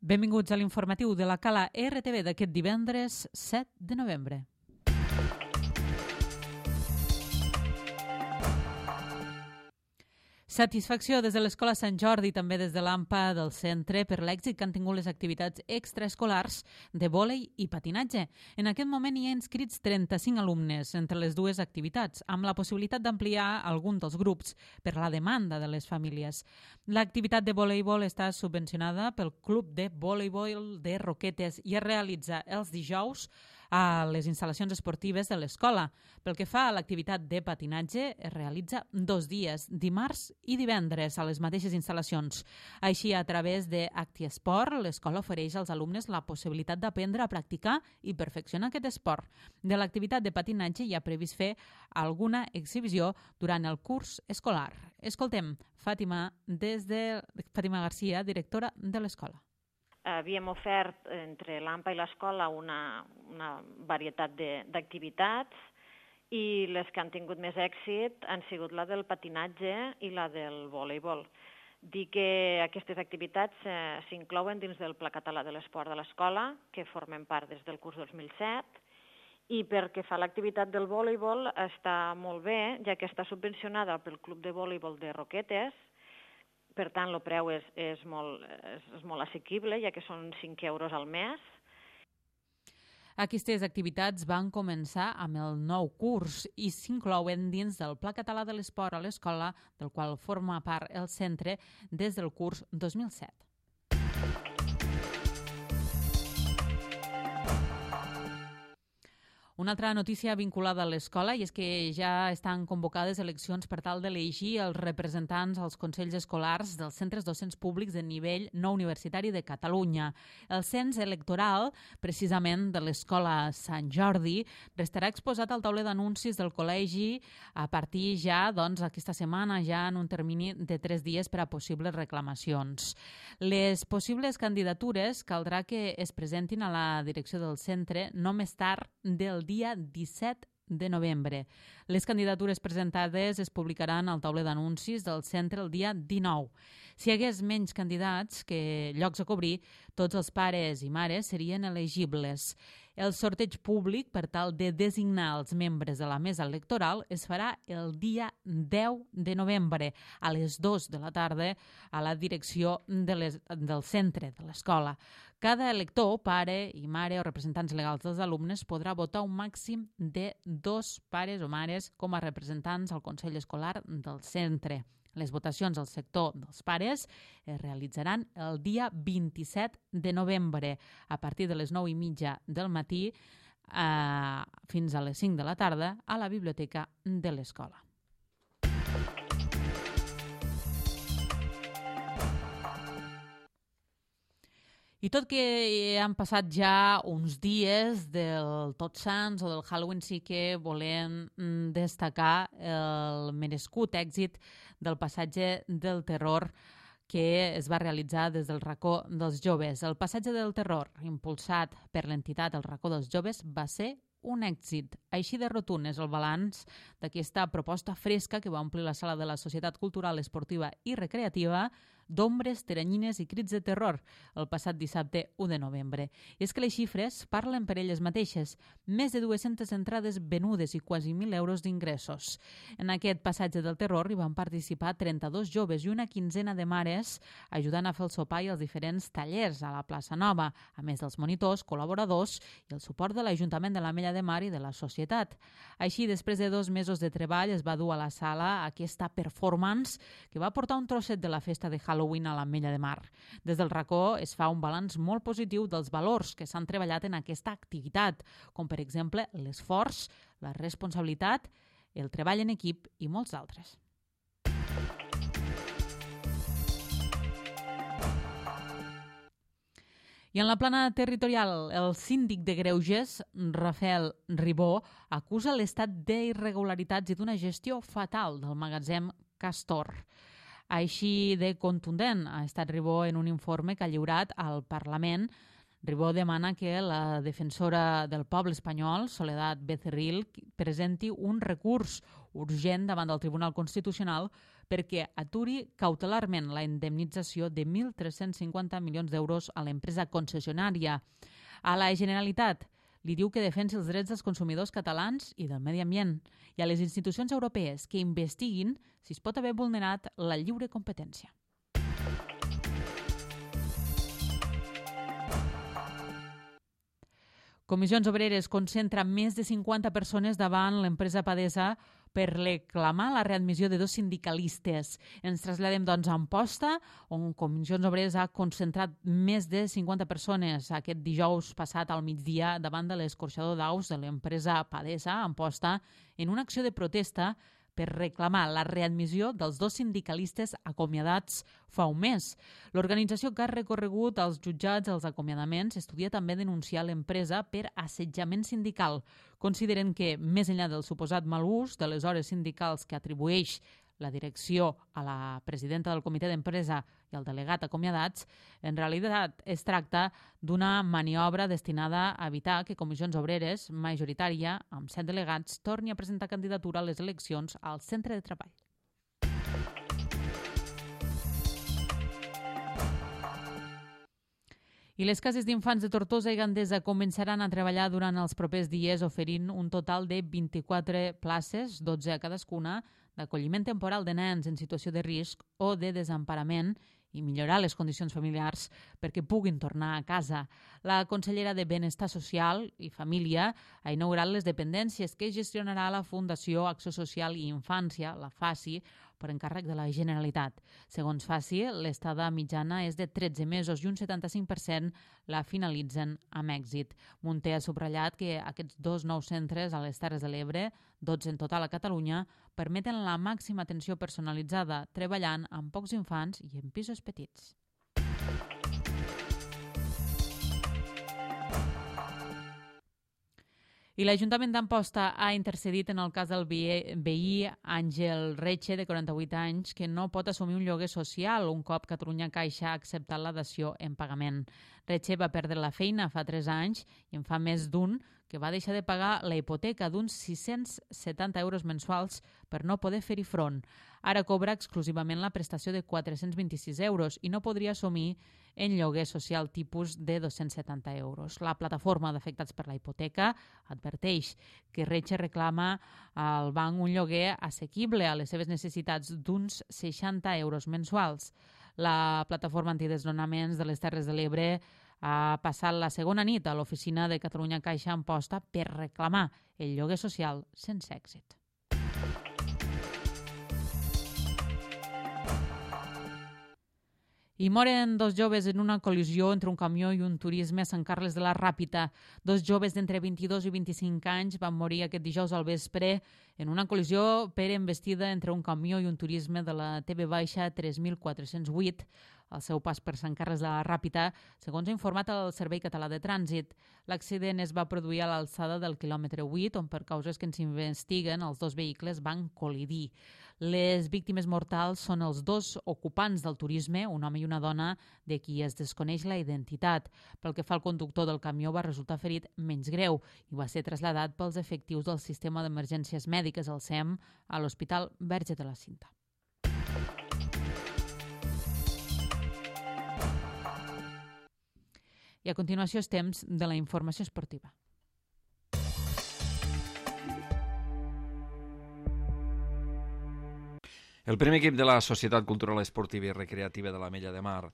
Benvinguts a l'informatiu de la Cala RTV d'aquest divendres 7 de novembre. Satisfacció des de l'Escola Sant Jordi i també des de l'AMPA del centre per l'èxit que han tingut les activitats extraescolars de vòlei i patinatge. En aquest moment hi ha inscrits 35 alumnes entre les dues activitats, amb la possibilitat d'ampliar algun dels grups per la demanda de les famílies. L'activitat de voleibol està subvencionada pel Club de Voleibol de Roquetes i es realitza els dijous a les instal·lacions esportives de l'escola. Pel que fa a l'activitat de patinatge, es realitza 2 dies, dimarts i divendres, a les mateixes instal·lacions. Així, a través de ActiEsport, l'escola ofereix als alumnes la possibilitat d'aprendre a practicar i perfeccionar aquest esport. De l'activitat de patinatge hi ha previst fer alguna exhibició durant el curs escolar. Escoltem Fàtima Garcia, directora de l'escola. Havíem ofert entre l'AMPA i l'escola una varietat d'activitats i les que han tingut més èxit han sigut la del patinatge i la del voleibol. Dir que aquestes activitats s'inclouen dins del Pla Català de l'Esport de l'escola, que formen part des del curs 2007, i perquè fa l'activitat del voleibol està molt bé, ja que està subvencionada pel Club de Voleibol de Roquetes. Per tant, el preu és molt assequible, ja que són 5 euros al mes. Aquestes activitats van començar amb el nou curs i s'inclouen dins del Pla Català de l'Esport a l'escola, del qual forma part el centre des del curs 2007. Una altra notícia vinculada a l'escola i és que ja estan convocades eleccions per tal d'elegir els representants als consells escolars dels centres docents públics de nivell no universitari de Catalunya. El cens electoral, precisament de l'escola Sant Jordi, restarà exposat al tauler d'anuncis del col·legi a partir ja, aquesta setmana, ja en un termini de 3 dies per a possibles reclamacions. Les possibles candidatures caldrà que es presentin a la direcció del centre no més tard del dia 17 de novembre. Les candidatures presentades es publicaran al tauler d'anuncis del centre el dia 19. Si hi hagués menys candidats que llocs a cobrir, tots els pares i mares serien elegibles. El sorteig públic per tal de designar els membres de la mesa electoral es farà el dia 10 de novembre a les 2 de la tarda a la direcció del centre de l'escola. Cada elector, pare i mare o representants legals dels alumnes podrà votar un màxim de 2 pares o mares com a representants al Consell Escolar del centre. Les votacions al sector dels pares es realitzaran el dia 27 de novembre a partir de les 9:30 del matí fins a les 5 de la tarda a la biblioteca de l'escola. I tot que han passat ja uns dies del Tots Sants o del Halloween, sí que volem destacar el merescut èxit del passatge del terror que es va realitzar des del racó dels joves. El passatge del terror, impulsat per l'entitat El Racó dels Joves, va ser un èxit. Així de rotund és el balanç d'aquesta proposta fresca que va omplir la sala de la Societat Cultural, Esportiva i Recreativa d'ombres, teranyines i crits de terror el passat dissabte 1 de novembre. I és que les xifres parlen per elles mateixes. Més de 200 entrades venudes i quasi 1.000 euros d'ingressos. En aquest passatge del terror hi van participar 32 joves i una quinzena de mares ajudant a fer el sopar i els diferents tallers a la plaça Nova, a més dels monitors, col·laboradors i el suport de l'Ajuntament de l'Ametlla de Mar i de la societat. Així, després de 2 mesos de treball, es va dur a la sala aquesta performance que va portar un trosset de la festa de Halloween a l'Ametlla de Mar. Des del racó es fa un balanç molt positiu dels valors que s'han treballat en aquesta activitat, com per exemple l'esforç, la responsabilitat, el treball en equip i molts altres. I en la plana territorial, el síndic de Greuges, Rafael Ribó, acusa l'estat d'irregularitats i d'una gestió fatal del magatzem Castor. Així de contundent ha estat Ribó en un informe que ha lliurat al Parlament. Ribó demana que la defensora del poble espanyol, Soledad Becerril, presenti un recurs urgent davant del Tribunal Constitucional perquè aturi cautelarment la indemnització de 1.350 milions d'euros a l'empresa concessionària. A la Generalitat li diu que defensi els drets dels consumidors catalans i del medi ambient, i a les institucions europees que investiguin si es pot haver vulnerat la lliure competència. Comissions Obreres concentra més de 50 persones davant l'empresa Padesa per reclamar la readmissió de 2 sindicalistes. Ens traslladem, doncs, a Amposta, on Comissions Obreres ha concentrat més de 50 persones aquest dijous passat al migdia davant de l'escorxador d'aus de l'empresa Padesa, a Amposta, en una acció de protesta per reclamar la readmissió dels 2 sindicalistes acomiadats fa un mes. L'organització que ha recorregut als jutjats els acomiadaments estudia també denunciar l'empresa per assetjament sindical. Consideren que, més enllà del suposat mal ús de les hores sindicals que atribueix la direcció a la presidenta del comitè d'empresa i el delegat acomiadats, en realitat es tracta d'una maniobra destinada a evitar que Comissions Obreres, majoritària, amb 7 delegats, torni a presentar candidatura a les eleccions al centre de treball. I les cases d'infants de Tortosa i Gandesa començaran a treballar durant els propers dies oferint un total de 24 places, 12 a cadascuna, d'acolliment temporal de nens en situació de risc o de desemparament i millorar les condicions familiars perquè puguin tornar a casa. La consellera de Benestar Social i Família ha inaugurat les dependències que gestionarà la Fundació Acció Social i Infància, la FACI, per encàrrec de la Generalitat. Segons FACI, l'estada mitjana és de 13 mesos i un 75% la finalitzen amb èxit. Munté ha subratllat que aquests 2 nous centres a les Terres de l'Ebre, 12 en total a Catalunya, permeten la màxima atenció personalitzada, treballant amb pocs infants i en pisos petits. I l'Ajuntament d'Amposta ha intercedit en el cas del veí Àngel Reche, de 48 anys, que no pot assumir un lloguer social un cop Catalunya Caixa ha acceptat la dació en pagament. Reche va perdre la feina fa 3 anys i en fa més d'un que va deixar de pagar la hipoteca d'uns 670 euros mensuals per no poder fer-hi front. Ara cobra exclusivament la prestació de 426 euros i no podria assumir en lloguer social tipus de 270 euros. La plataforma d'afectats per la hipoteca adverteix que Reche reclama al banc un lloguer assequible a les seves necessitats d'uns 60 euros mensuals. La plataforma antidesnonaments de les Terres de l'Ebre ha passat la segona nit a l'oficina de Catalunya Caixa a Amposta per reclamar el lloguer social sense èxit. I moren 2 joves en una col·lisió entre un camió i un turisme a Sant Carles de la Ràpita. 2 joves d'entre 22 i 25 anys van morir aquest dijous al vespre en una col·lisió per embestida entre un camió i un turisme de la TV-3408 al seu pas per Sant Carles de la Ràpita, segons ha informat el Servei Català de Trànsit. L'accident es va produir a l'alçada del quilòmetre 8, on per causes que ens investiguen els 2 vehicles van col·lidir. Les víctimes mortals són els 2 ocupants del turisme, un home i una dona, de qui es desconeix la identitat. Pel que fa al conductor del camió, va resultar ferit menys greu i va ser traslladat pels efectius del sistema d'emergències mèdiques, el SEM, a l'Hospital Verge de la Cinta. I a continuació és temps de la informació esportiva. El primer equip de la Societat Cultural Esportiva i Recreativa de l'Ametlla de Mar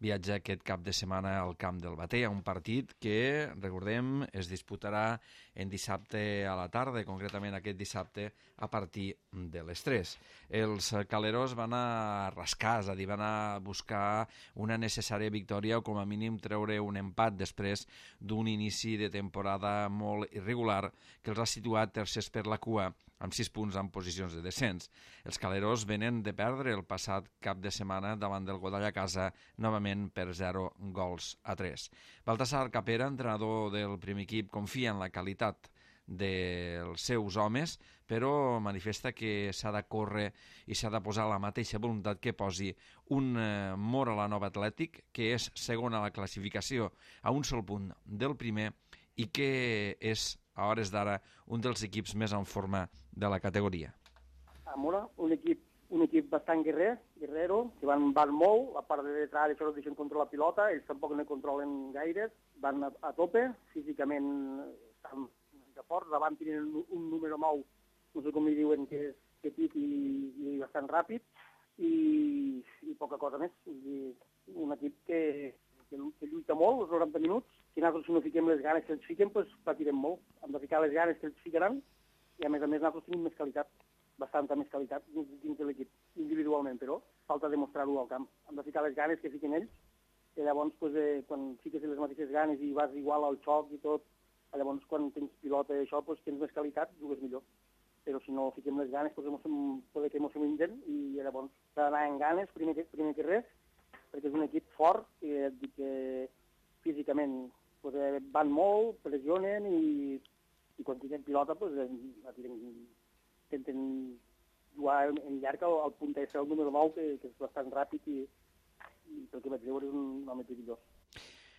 viatja aquest cap de setmana al Camp del Bater, a un partit que, recordem, es disputarà en dissabte a la tarda, concretament aquest dissabte a partir de les 3. Els caleros van a rascar, és a dir, van a buscar una necessària victòria o com a mínim treure un empat després d'un inici de temporada molt irregular que els ha situat tercers per la cua amb 6 punts en posicions de descens. Els caleros venen de perdre el passat cap de setmana davant del Godall a casa, novament per 0-3. Baltasar Capera, entrenador del primer equip, confia en la qualitat dels seus homes, però manifesta que s'ha de córrer i s'ha de posar la mateixa voluntat que posi un Móra la Nova Atlètic, que és segon a la classificació a un sol punt del primer i que és a hores d'ara un dels equips més en forma de la categoria. A Móra, un equip un equip bastant guerrero, que van molt, a part de detrás això no deixen controlar la pilota, ells tampoc no controlen gaire, van a tope, físicament estan de forts, davant tenen un número 9, no sé com li diuen, que és petit i bastant ràpid, i poca cosa més. Un equip que lluita molt els 90 minuts, que nosaltres si no fiquem les ganes que ens fiquem, doncs patirem molt. Hem de ficar les ganes que ens ficaran, i a més nosaltres tenim més qualitat, bastanta més qualitat dins de l'equip, individualment, però falta demostrar-ho al camp. Hem de ficar les ganes que fiquen ells, i llavors quan fiques les mateixes ganes i vas igual al xoc i tot, llavors quan tens pilota i això, tens més qualitat, jugues millor. Però si no fiquem les ganes, poder que ens mengen, i llavors s'ha d'anar amb ganes, primer que res, perquè és un equip fort, que físicament van molt, pressionen, i quan tenen pilota intenten jugar en llarg al punt de ser el número 9, que és bastant ràpid, i pel que vaig veure és un home perillós.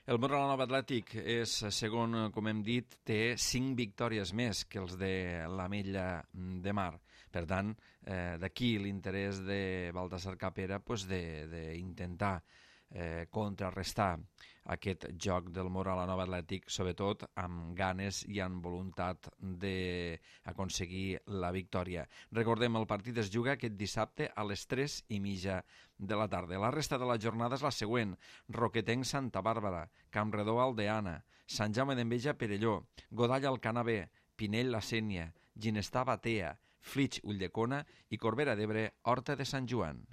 El Móra-la-Nova Atlètic és segon, com hem dit, té 5 victòries més que els de l'Ametlla de Mar. Per tant, d'aquí l'interès de Baltasar Capera d'intentar contrarrestar aquest joc del Móra-la-Nova Atlètic, sobretot amb ganes i amb voluntat d'aconseguir la victòria. Recordem, el partit es juga aquest dissabte a les 3:30 de la tarda. La resta de la jornada és la següent: Roquetenc Santa Bàrbara, Campredó Aldeana, Sant Jaume d'Enveja Perelló, Godall Alcanar, Pinell La Sénia, Ginestar Batea, Flix Ulldecona i Corbera d'Ebre Horta de Sant Joan.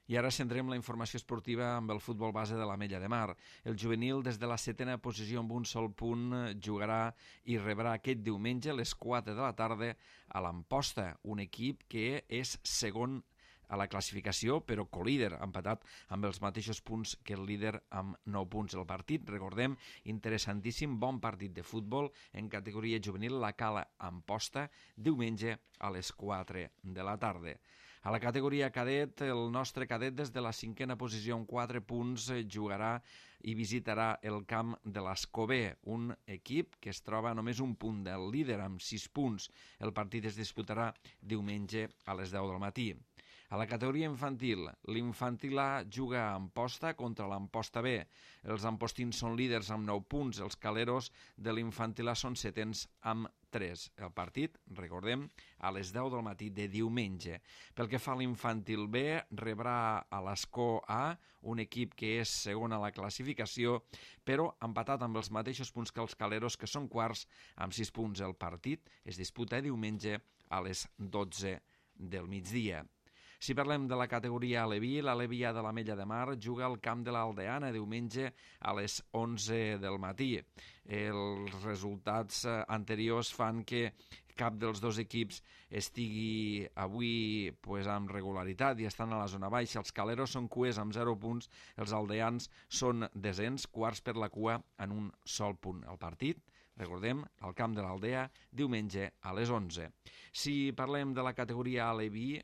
I ara centrem la informació esportiva amb el futbol base de l'Ametlla de Mar. El juvenil, des de la 7a posició amb un sol punt, jugarà i rebrà aquest diumenge a les 4 de la tarda a l'Amposta, un equip que és segon a la classificació, però colíder, empatat amb els mateixos punts que el líder amb 9 punts. El partit, recordem, interessantíssim, bon partit de futbol en categoria juvenil, la Cala Amposta, diumenge a les 4 de la tarda. A la categoria cadet, el nostre cadet des de la 5a posició amb 4 punts jugarà i visitarà el camp de l'Escobé, un equip que es troba a només un punt del líder amb 6 punts. El partit es disputarà diumenge a les 10 del matí. A la categoria infantil, l'Infantil A juga a Amposta contra l'Amposta B. Els ampostins són líders amb 9 punts, els caleros de l'Infantil A són setens amb 3. El partit, recordem, a les 10 del matí de diumenge. Pel que fa a l'Infantil B, rebrà a l'Escó A, un equip que és segon a la classificació, però empatat amb els mateixos punts que els caleros, que són quarts amb 6 punts. El partit es disputa diumenge a les 12 del migdia. Si parlem de la categoria Aleví, l'Aleví A de l'Ametlla de Mar juga al camp de l'Aldeana diumenge a les 11 del matí. Els resultats anteriors fan que cap dels dos equips estigui avui amb regularitat i estan a la zona baixa. Els caleros són cuers amb 0 punts, els aldeans són desens, quarts per la cua en un sol punt. El partit, recordem, al camp de l'Aldea, diumenge a les 11. Si parlem de la categoria Aleví,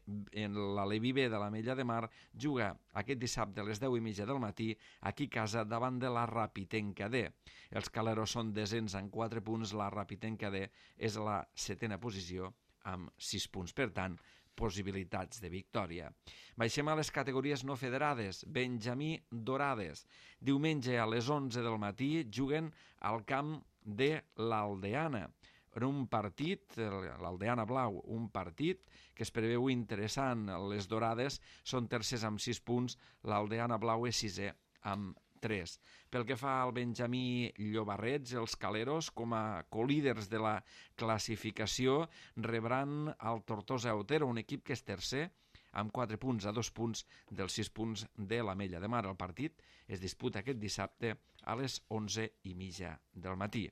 l'Aleví B de l'Ametlla de Mar juga aquest dissabte a les 10:30 del matí aquí a casa davant de la Rapitenca D. Els caleros són desens en 4 punts, la Rapitenca D és a la 7a posició amb 6 punts. Per tant, possibilitats de victòria. Baixem a les categories no federades. Benjamí Dorades. Diumenge a les 11 del matí juguen al camp de l'Aldeana. En un partit, l'Aldeana Blau, un partit que es preveu interessant. Les Dorades són tercers amb 6 punts, l'Aldeana Blau és sisè amb 3. Pel que fa al Benjamí Llobarrets, els caleros, com a colíders de la classificació, rebran el Tortosa Otero, un equip que és tercer, amb 4 punts, a 2 punts dels 6 punts de l'Ametlla de Mar. El partit es disputa aquest dissabte a les 11:30 del matí.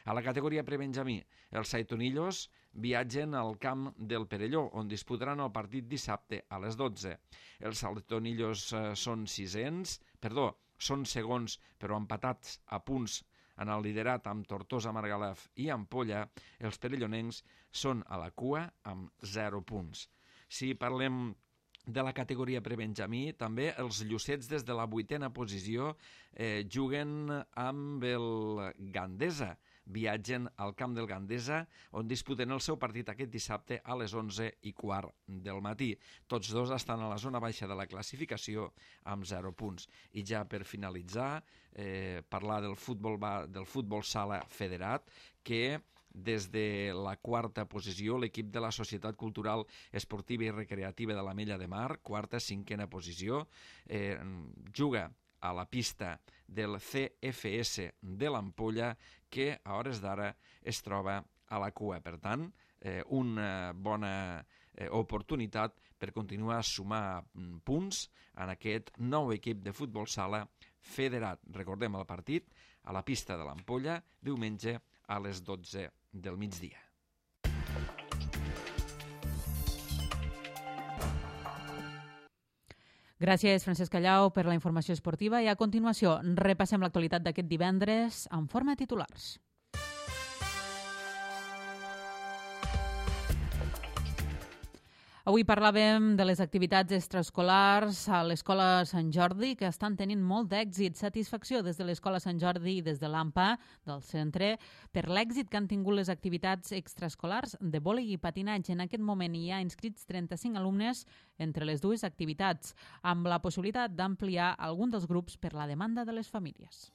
A la categoria prebenjamí, els Saitonillos viatgen al camp del Perelló, on disputaran el partit dissabte a les 12. Els Saitonillos són segons, però empatats a punts en el liderat amb Tortosa, Margalef i Ampolla. Els perellonencs són a la cua amb 0 punts. Si parlem de la categoria prebenjamí, també els Llucets des de la 8a posició juguen amb el Gandesa. viatgen al camp del Gandesa, on disputen el seu partit aquest dissabte a les 11:15 del matí. Tots dos estan a la zona baixa de la classificació amb 0 punts. I ja per finalitzar, parlar del futbol sala federat, que des de la quarta posició, l'equip de la Societat Cultural Esportiva i Recreativa de l'Ametlla de Mar, quarta, cinquena posició, juga a la pista del CFS de l'Ampolla, que a hores d'ara es troba a la cua. Per tant, una bona oportunitat per continuar a sumar punts en aquest nou equip de futbol sala federat. Recordem el partit a la pista de l'Ampolla, diumenge a les 12 del migdia. Gràcies, Francesc Callau, per la informació esportiva. I a continuació repassem l'actualitat d'aquest divendres en forma de titulars. Avui parlàvem de les activitats extraescolars a l'Escola Sant Jordi, que estan tenint molt d'èxit. Satisfacció des de l'Escola Sant Jordi i des de l'AMPA, del centre, per l'èxit que han tingut les activitats extraescolars de vòlei i patinatge. En aquest moment hi ha inscrits 35 alumnes entre les dues activitats, amb la possibilitat d'ampliar algun dels grups per la demanda de les famílies.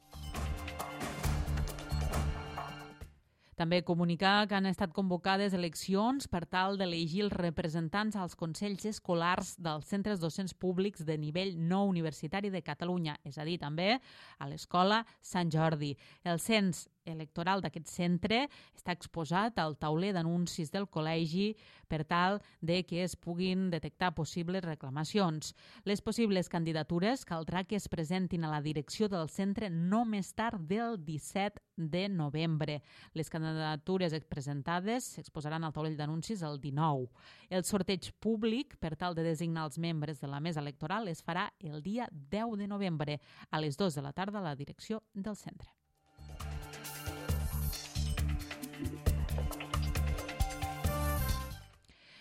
També comunicar que han estat convocades eleccions per tal d'elegir els representants als consells escolars dels centres docents públics de nivell no universitari de Catalunya, és a dir, també a l'Escola Sant Jordi. El cens electoral d'aquest centre està exposat al tauler d'anuncis del col·legi per tal de que es puguin detectar possibles reclamacions. Les possibles candidatures caldrà que es presentin a la direcció del centre no més tard del 17 de novembre. Les candidatures presentades s'exposaran al taulell d'anuncis el 19. El sorteig públic per tal de designar els membres de la mesa electoral es farà el dia 10 de novembre a les 2 de la tarda a la direcció del centre.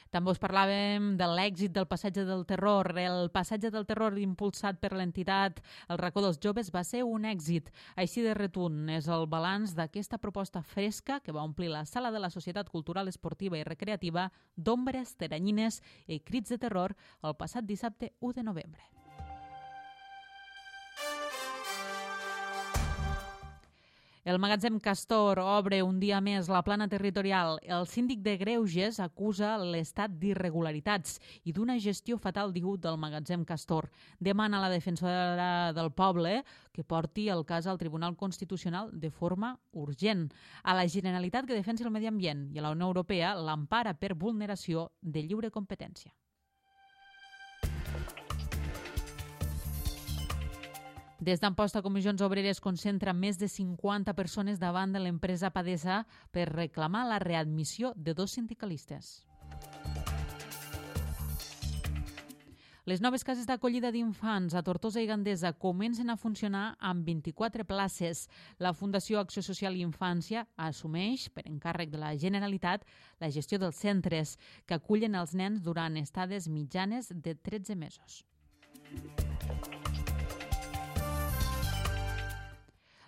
També us parlàvem de l'èxit del Passatge del Terror. El Passatge del Terror impulsat per l'entitat El Racó dels Joves va ser un èxit. Així de retun és el balanç d'aquesta proposta fresca que va omplir la sala de la Societat Cultural Esportiva i Recreativa d'ombres, teranyines i crits de terror el passat dissabte 1 de novembre. El magatzem Castor obre un dia més la plana territorial. El síndic de Greuges acusa l'estat d'irregularitats i d'una gestió fatal, diu, del magatzem Castor. Demana a la defensora del poble que porti el cas al Tribunal Constitucional de forma urgent. A la Generalitat, que defensi el medi ambient, i a la Unió Europea l'empara per vulneració de lliure competència. Des d'Amposta, Comissions Obreres concentra més de 50 persones davant de l'empresa Padesa per reclamar la readmissió de 2 sindicalistes. Les noves cases d'acollida d'infants a Tortosa i Gandesa comencen a funcionar amb 24 places. La Fundació Acció Social i Infància assumeix, per encàrrec de la Generalitat, la gestió dels centres que acullen els nens durant estades mitjanes de 13 mesos.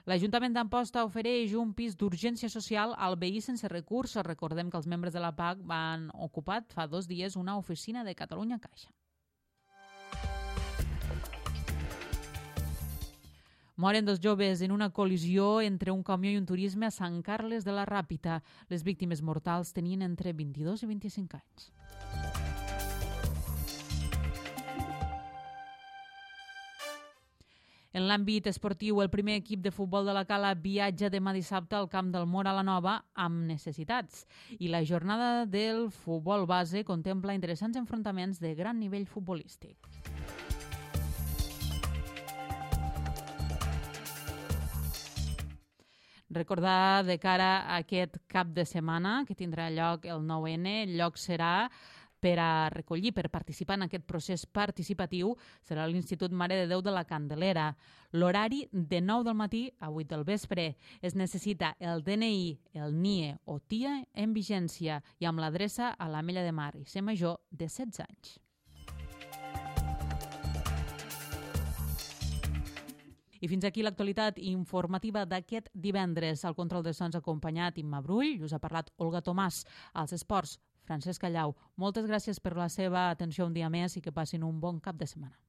L'Ajuntament d'Amposta ofereix un pis d'urgència social al veí sense recursos. Recordem que els membres de la PAC van ocupat fa 2 dies una oficina de Catalunya Caixa. Moren 2 joves en una col·lisió entre un camió i un turisme a Sant Carles de la Ràpita. Les víctimes mortals tenien entre 22 i 25 anys. En l'àmbit esportiu, el primer equip de futbol de la Cala viatja demà dissabte al camp del Móra la Nova amb necessitats. I la jornada del futbol base contempla interessants enfrontaments de gran nivell futbolístic. Recordar de cara a aquest cap de setmana que tindrà lloc el 9N, el lloc serà per a recollir, per participar en aquest procés participatiu, serà l'Institut Mare de Déu de la Candelera. L'horari de 9 del matí a 8 del vespre. Es necessita el DNI, el NIE o TIA en vigència i amb l'adreça a l'Ametlla de Mar i ser major de 16 anys. I fins aquí l'actualitat informativa d'aquest divendres. Al control de sons acompanyat Imma Brull, us ha parlat Olga Tomàs. Als esports, Francesc Callau. Moltes gràcies per la seva atenció un dia més i que passin un bon cap de setmana.